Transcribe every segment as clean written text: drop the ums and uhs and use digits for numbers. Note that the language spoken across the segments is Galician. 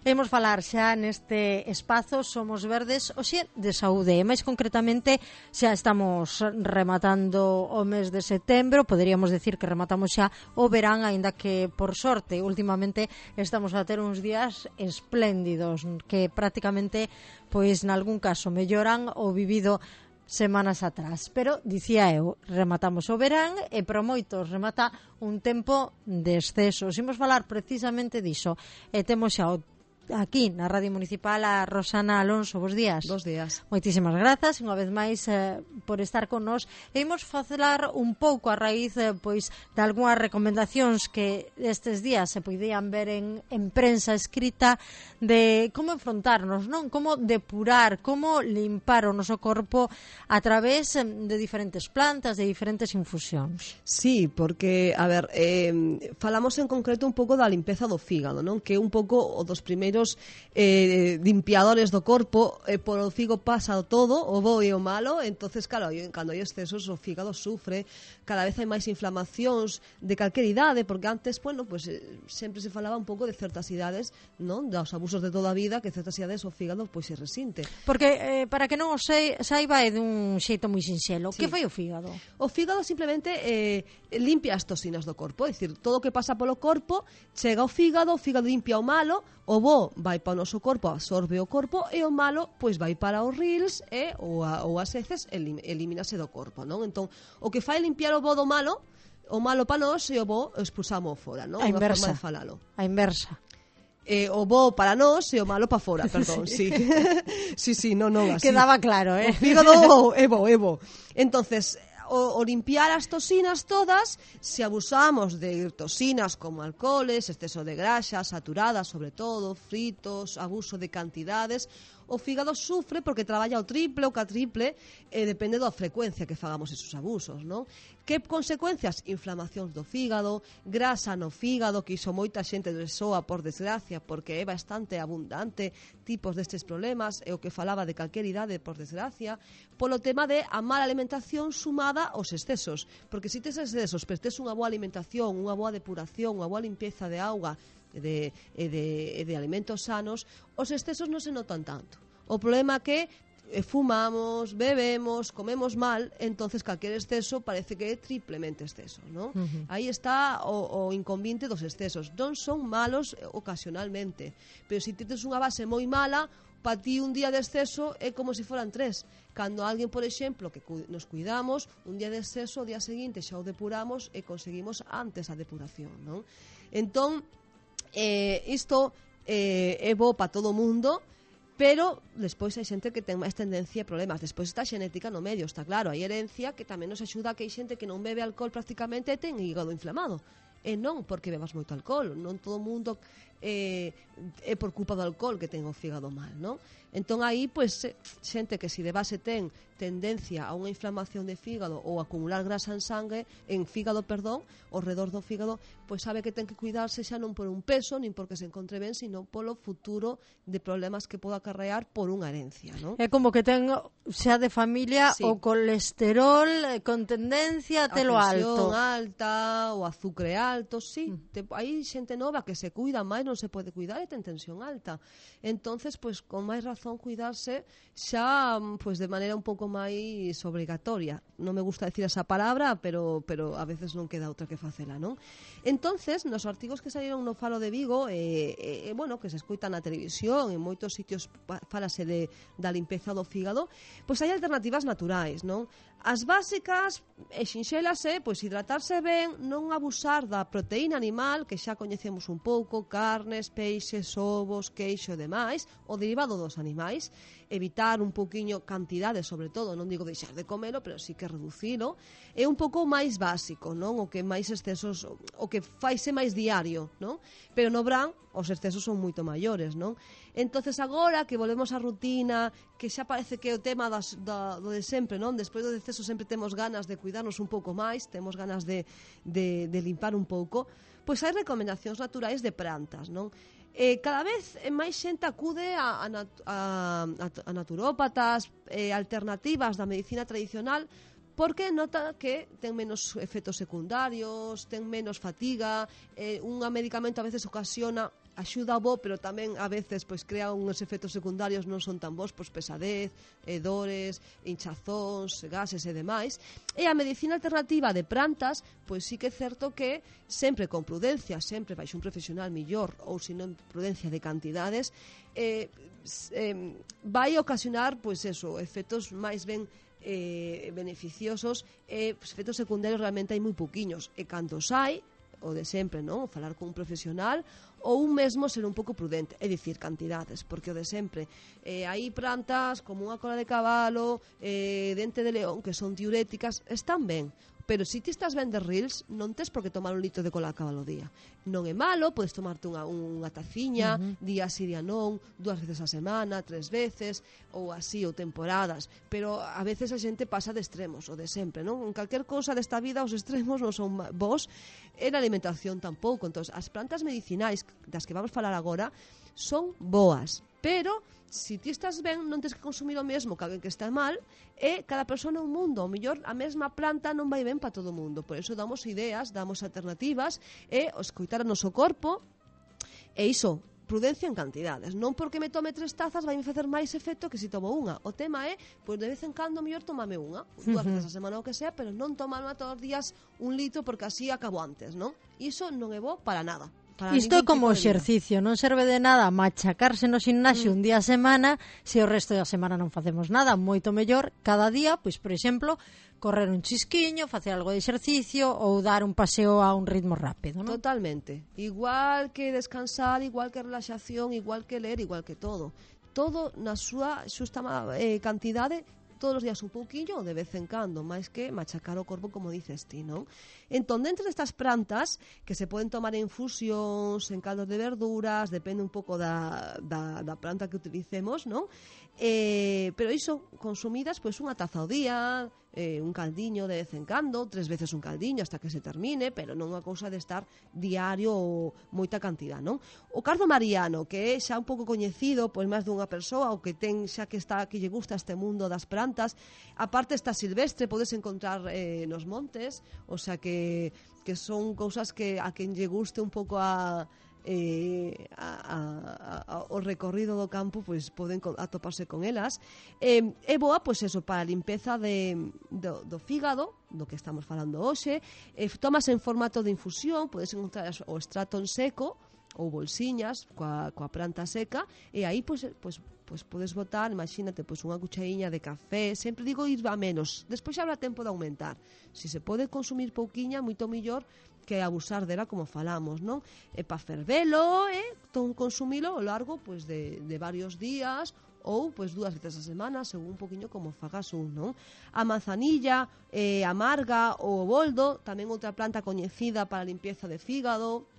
Imos falar xa neste espazo Somos Verdes hoxe de saúde, e máis concretamente xa estamos rematando o mes de setembro, poderíamos decir que rematamos xa o verán, aínda que por sorte últimamente estamos a ter uns días espléndidos que prácticamente, pois nalgún caso melloran o vivido semanas atrás, pero dicía eu, rematamos o verán e para moitos remata un tempo de excesos. Imos falar precisamente diso e temos xa aquí na Radio Municipal a Rosana Alonso. Bos días. Bos días. Moitísimas grazas unha vez máis por estar con nós. E imos falar un pouco a raíz pois de algunhas recomendacións que estes días se podían ver en prensa escrita de como enfrontarnos, non? Como depurar, como limpar o noso corpo a través de diferentes plantas, de diferentes infusións. Sí, porque, a ver, falamos en concreto un pouco da limpeza do fígado, non? Que é un pouco o dos primeiros limpiadores do corpo, por o fígado pasa todo, o bo e o malo, entonces claro, cando hai excesos o fígado sufre, cada vez hai máis inflamacións de calquer idade, porque antes, bueno, pues sempre se falaba un pouco de certas idades, non? Dos abusos de toda a vida, que certas idades o fígado pois se resinte. Porque para que non o saiba é dun xeito moi sinxelo. Sí. Que fai o fígado? O fígado simplemente limpia as toxinas do corpo, é dicir, todo o que pasa polo corpo chega ao fígado, o fígado limpia o malo, o bo vai para o noso corpo, absorbe o corpo, e o malo pois vai para os rils ou as heces elimínase do corpo, non? Entón, o que fai limpiar o bo do malo, o malo para nós e o bo expulsamos fora, non? A inversa. Unha forma de falalo. A inversa. O bo para nós e o malo para fora, perdón, sí. Sí, non, así. Quedaba claro, O fígado é bo. Entonces, o limpiar as toxinas todas, se abusamos de toxinas como alcoholes, exceso de grasas saturadas, sobre todo, fritos, abuso de cantidades, o fígado sufre porque traballa o triple ou catriple, depende da frecuencia que fagamos esos abusos, non? Que consecuencias? Inflamacións do fígado, grasa no fígado, que iso moita xente soa por desgracia, porque é bastante abundante tipos destes problemas, é o que falaba de calquer idade por desgracia, polo tema de a mala alimentación sumada aos excesos, porque se tes excesos, pero tes unha boa alimentación, unha boa depuración, unha boa limpieza de auga, de alimentos sanos, os excesos non se notan tanto. O problema é que fumamos, bebemos, comemos mal, entonces calquer exceso parece que é triplemente exceso, ¿no? Aí está o inconveniente dos excesos. Non son malos ocasionalmente, pero se tes unha base moi mala, para ti un día de exceso é como se foran 3. Cando alguén, por exemplo, que nos cuidamos, un día de exceso, o día seguinte xa o depuramos e conseguimos antes a depuración, non? Entón, isto é bo para todo o mundo, pero despois hai xente que ten máis tendencia a problemas. Despois está a xenética no medio, está claro. Hai herencia que tamén nos axuda, que hai xente que non bebe alcohol prácticamente e ten hígado inflamado. E non porque bebas moito alcohol, non todo o mundo é por culpa do alcohol que ten o fígado mal, non? Entón aí, pois, xente que se de base ten tendencia a unha inflamación de fígado ou acumular grasa en sangue, en fígado, perdón, ao redor do fígado, pois sabe que ten que cuidarse xa non por un peso, nin porque se encontre ben, sino polo futuro de problemas que poda acarrear por unha herencia, non? É como que ten xa de familia o colesterol con tendencia a telo alto. A presión alta, o azúcar alto, sí. Hai xente nova que se cuida máis, non se pode cuidar e ten tensión alta. Entonces, pois, con máis razón cuidarse xa, pois, de maneira un pouco máis obrigatoria. Non me gusta decir esa palabra, pero a veces non queda outra que facela, non? Entonces, nos artigos que saíron no Faro de Vigo, bueno, que se escoitan na televisión, en moitos sitios falase da limpeza do fígado, pois hai alternativas naturais, non? As básicas e sinxelas pois hidratarse ben, non abusar da proteína animal, que xa coñecemos un pouco, carnes, peixes, ovos, queixo e demais, o derivado dos animais, evitar un pouquiño cantidade, sobre todo, non digo deixar de comelo, pero sí que reducilo, é un pouco máis básico, non? O que máis excesos, o que faise máis diario, non? Pero no verán os excesos son moito maiores, non? Entonces agora que volvemos á rutina, que xa parece que é o tema do de sempre, non? Despois do exceso sempre temos ganas de cuidarnos un pouco máis, temos ganas de limpar un pouco, pois hai recomendacións naturais de plantas, non? Cada vez máis xente acude a naturópatas, alternativas da medicina tradicional, porque nota que ten menos efectos secundarios, ten menos fatiga, un medicamento a veces ocasiona axuda bo, pero tamén a veces pois crea uns efectos secundarios non son tan bons, pois pesadez, dores, hinchazóns, gases e demais. E a medicina alternativa de plantas, pois sí que é certo que sempre con prudencia, sempre baixo un profesional millor, ou se non prudencia de cantidades, vai ocasionar pois eso, efectos máis ben beneficiosos, pues, efectos secundarios realmente hai moi pouquiños, e cando os hai, o de sempre, non? Falar con un profesional ou un mesmo ser un pouco prudente, é dicir, cantidades, porque o de sempre hai plantas como unha cola de cabalo, dente de león, que son diuréticas, están ben, pero se ti estás ben de rils, non tes por que tomar un litro de cola de cabalo ao día. Non é malo, podes tomarte unha taciña, día sí, día non, 2 veces a semana, 3 veces, ou así, ou temporadas, pero a veces a xente pasa de extremos, o de sempre, non? En calquer cousa desta vida os extremos non son vos, e na alimentación tampouco. Entón, as plantas medicinais das que vamos falar agora son boas, pero se ti estás ben non tens que consumir o mesmo que alguén que está mal, e cada persona é un mundo, o mellor a mesma planta non vai ben para todo o mundo, por iso damos ideas, damos alternativas, e escoitar o noso corpo, e iso, prudencia en cantidades, non porque me tome 3 tazas vai me facer máis efecto que se tomo unha. O tema é, pois de vez en cando mellor tomame unha, 2 veces a semana o que sea, pero non tomarme todos os días 1 litro porque así acabo antes, non? Iso non é bo para nada. Isto é como exercicio, non serve de nada machacarse no gimnasio un día a semana se o resto da semana non facemos nada. Moito mellor cada día, pois por exemplo, correr un chisquiño, facer algo de exercicio ou dar un paseo a un ritmo rápido, non? Totalmente. Igual que descansar, igual que relaxación, igual que ler, igual que todo. Todo na súa xusta cantidade, todos os días un pouquiño ou de vez en cando, máis que machacar o corpo como dices ti, non? Entón, dentro destas plantas que se poden tomar en infusións, en caldos de verduras, depende un pouco da planta que utilicemos, non? Pero iso, consumidas, pois unha taza ao día, un caldiño de vez en cando, 3 veces un caldiño hasta que se termine, pero non unha cousa de estar diario ou moita cantidad, non? O cardo mariano, que é xa un pouco coñecido pois máis dunha persoa, ou que ten xa que lle gusta este mundo das plantas, aparte está silvestre, podes encontrar nos montes, o sea que son cousas que a quen lle guste un pouco o recorrido do campo, pois poden atoparse con elas. É boa, pois eso, para a limpeza do fígado, do que estamos falando hoxe. Tomas en formato de infusión, podes encontrar o extrato en seco ou bolsiñas coa planta seca, e aí pois podes botar, imagínate, pois unha cuchariña de café, sempre digo ir a menos, despois xa habrá tempo de aumentar. Se se pode consumir pouquiña, moito mellor que abusar dela, como falamos, non? E para fervelo, consumilo ao largo pois de varios días, ou pois 2 veces a semana, según un poquinho como fagas non? A manzanilla, amarga ou o boldo, tamén outra planta coñecida para a limpieza de fígado.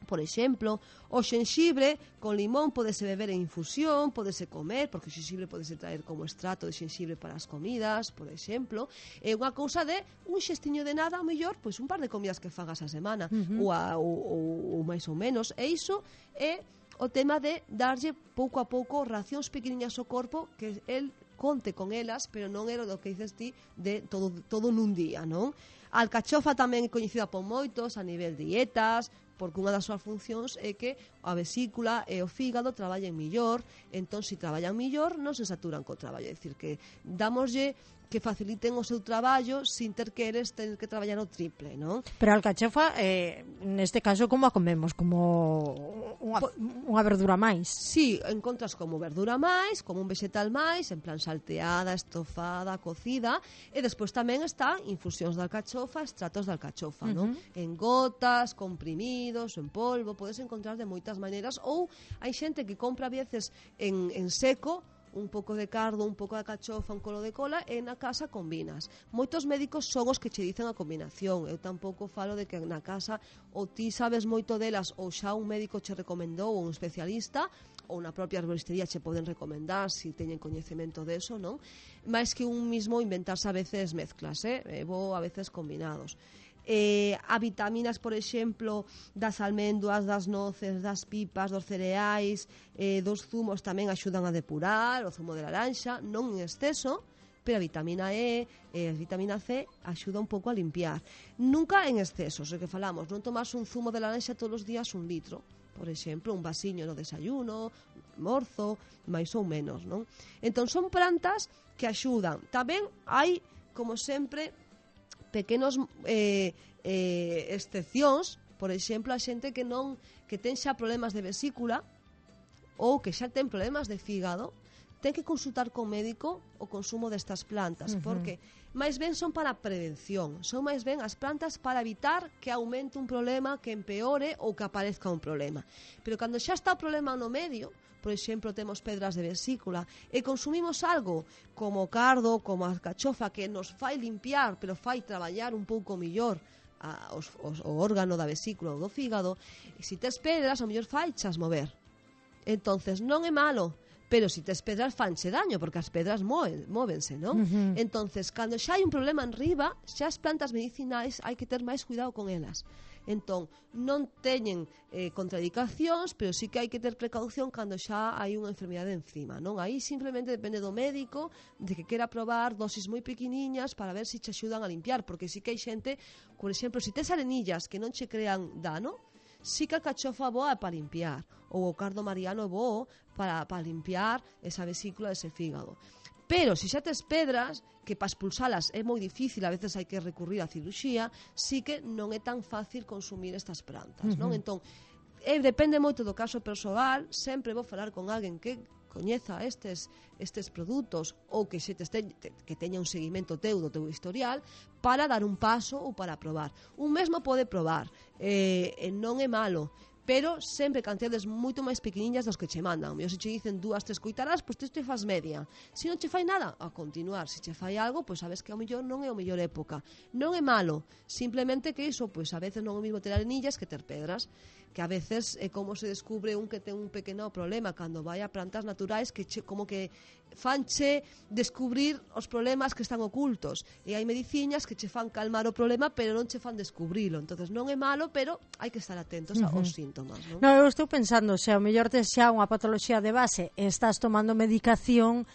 Por exemplo, o xenxibre con limón podese beber en infusión, podese comer, porque o xenxibre podese traer como extrato de xenxibre para as comidas, por exemplo. É unha cousa de un xestiño de nada, ao mellor, pois un par de comidas que fagas a semana, ou máis ou menos. E iso é o tema de darlle pouco a pouco racións pequeniñas ao corpo, que el conte con elas, pero non era o que dices ti de todo nun día, non? A alcachofa tamén é coñecida por moitos a nivel dietas, porque unha das súas funcións é que a vesícula e o fígado traballen millor, entón se traballan millor non se saturan co traballo, é dicir, que damoslle que faciliten o seu traballo sin ter que eles tener que traballar o triple, non? Pero a alcachofa, neste caso, como a comemos? Como unha verdura máis? Sí, encontras como verdura máis, como un vegetal máis, en plan salteada, estofada, cocida, e despois tamén está infusións de alcachofa, extratos de alcachofa, non? En gotas, comprimidos, en polvo, podes encontrar de moitas maneiras, ou hai xente que compra a veces en seco, un pouco de cardo, un pouco de cachofa, un colo de cola, e na casa combinas. Moitos médicos son os que che dicen a combinación. Eu tampouco falo de que na casa ou ti sabes moito delas ou xa un médico che recomendou ou un especialista, ou na propia arboristería che poden recomendar se teñen coñecemento deso, non? Mais que un mismo inventarse a veces mezclas, vou a veces combinados. A vitaminas, por exemplo, das almendras, das noces, das pipas, dos cereais, dos zumos tamén axudan a depurar, o zumo de laranxa, non en exceso, pero a vitamina E e a vitamina C axuda un pouco a limpiar. Nunca en exceso, o que falamos, non tomas un zumo de laranxa todos os días 1 litro, por exemplo, un vasiño no desayuno, morzo, máis ou menos, non? Entón, son plantas que axudan. Tamén hai, como sempre, pequenos excepcións, por exemplo, a xente que ten xa problemas de vesícula ou que xa ten problemas de fígado, ten que consultar con médico o consumo destas plantas, porque máis ben son para prevención, son máis ben as plantas para evitar que aumente un problema, que empeore ou que aparezca un problema. Pero cando xa está o problema no medio, por exemplo, temos pedras de vesícula e consumimos algo como o cardo, como a alcachofa, que nos fai limpiar, pero fai traballar un pouco millor o órgano da vesícula ou do fígado, e se tes pedras, o mellor faichas mover. Entonces, non é malo, pero se tes pedras fanche daño, porque as pedras móvense, non? Entonces, cando xa hai un problema en riba, xa as plantas medicinais hai que ter máis cuidado con elas. Entón, non teñen contraindicacións, pero sí que hai que ter precaución cando xa hai unha enfermidade encima, non? Aí simplemente depende do médico de que quera probar dosis moi pequeniñas para ver se che axudan a limpiar, porque sí que hai xente, por exemplo, se tes arenillas que non che crean dano, sí que a alcachofa boa é para limpiar, ou o cardo mariano é bo para limpiar esa vesícula, ese fígado. Pero se xa tes pedras, que para expulsalas é moi difícil, a veces hai que recurrir á cirurxía, sí que non é tan fácil consumir estas plantas, non? Entón, depende moito do caso persoal, sempre vou falar con alguén que coñeza estes produtos ou que que teña un seguimento teu do teu historial para dar un paso ou para probar. Un mesmo pode probar, non é malo, pero sempre cantidades moito máis pequeniñas dos que che mandan. Se che dicen 2-3 cuitaradas, pois te faz media. Se non che fai nada, a continuar. Se che fai algo, pois sabes que ao mellor non é o mellor época. Non é malo, simplemente que iso, pois a veces non é o mismo ter arenillas que ter pedras, que a veces é como se descubre un que ten un pequeno problema cando vai a plantas naturais que como que fanche descubrir os problemas que están ocultos, e hai mediciñas que che fan calmar o problema pero non che fan descubrilo. Entonces non é malo, pero hai que estar atentos aos síntomas, non? Non, eu estou pensando, se ao mellor tes xa unha patoloxía de base e estás tomando medicación,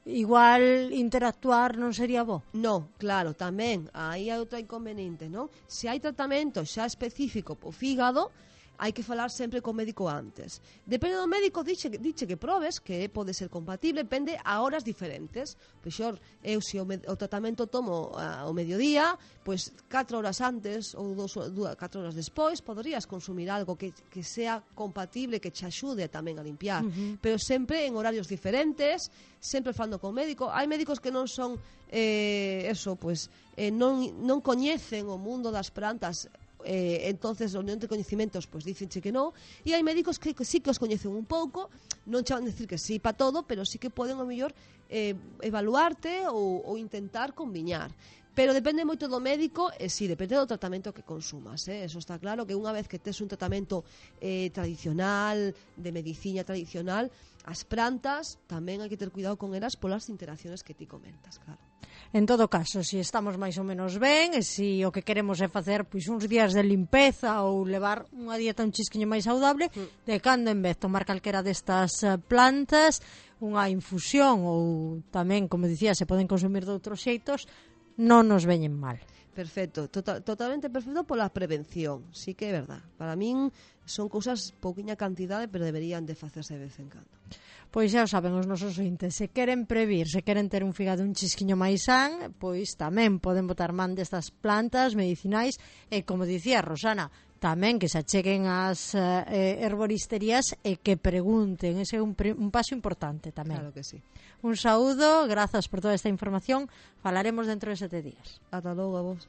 igual interactuar non sería bo? Non, claro, tamén aí hai outra inconveniente, non? Se hai tratamento xa específico po fígado, hai que falar sempre co médico antes. Depende do médico, diche que probes, que pode ser compatible, depende a horas diferentes. Pois eu se o tratamento tomo ao mediodía, pois 4 horas antes ou 4 horas despois poderías consumir algo que sea compatible, que che axude tamén a limpiar. Pero sempre en horarios diferentes, sempre falando con médico. Hai médicos que non son non coñecen o mundo das plantas, entonces o non de coñecimentos pois dicenche que non, e hai médicos que sí que os coñecen un pouco, non che van a decir que sí para todo, pero sí que poden ao mellor evaluarte ou intentar combiñar. Pero depende moito do médico e sí, depende do tratamento que consumas, eso está claro, que unha vez que tes un tratamento tradicional, de medicina tradicional, as plantas tamén hai que ter cuidado con elas polas interacciones que ti comentas, claro. En todo caso, se estamos máis ou menos ben, e se o que queremos é facer pois uns días de limpeza ou levar unha dieta un chisquiño máis saudable, de cando en vez tomar calquera destas plantas, unha infusión ou tamén, como dicía, se poden consumir de outros xeitos, non nos veñen mal. Perfecto, totalmente perfecto pola prevención, sí que é verdad. Para min son cousas pouquiña cantidade, pero deberían de facerse de vez en cando. Pois xa o saben os nosos ointes, se queren previr, se queren ter un fígado un chisquiño máis san, pois tamén poden botar man destas plantas medicinais e, como dicía Rosana, tamén que se acheguen ás herboristerías e que pregunten, ese é un paso importante tamén. Claro que sí. Un saúdo, grazas por toda esta información, falaremos dentro de 7 días. Ata logo a vos.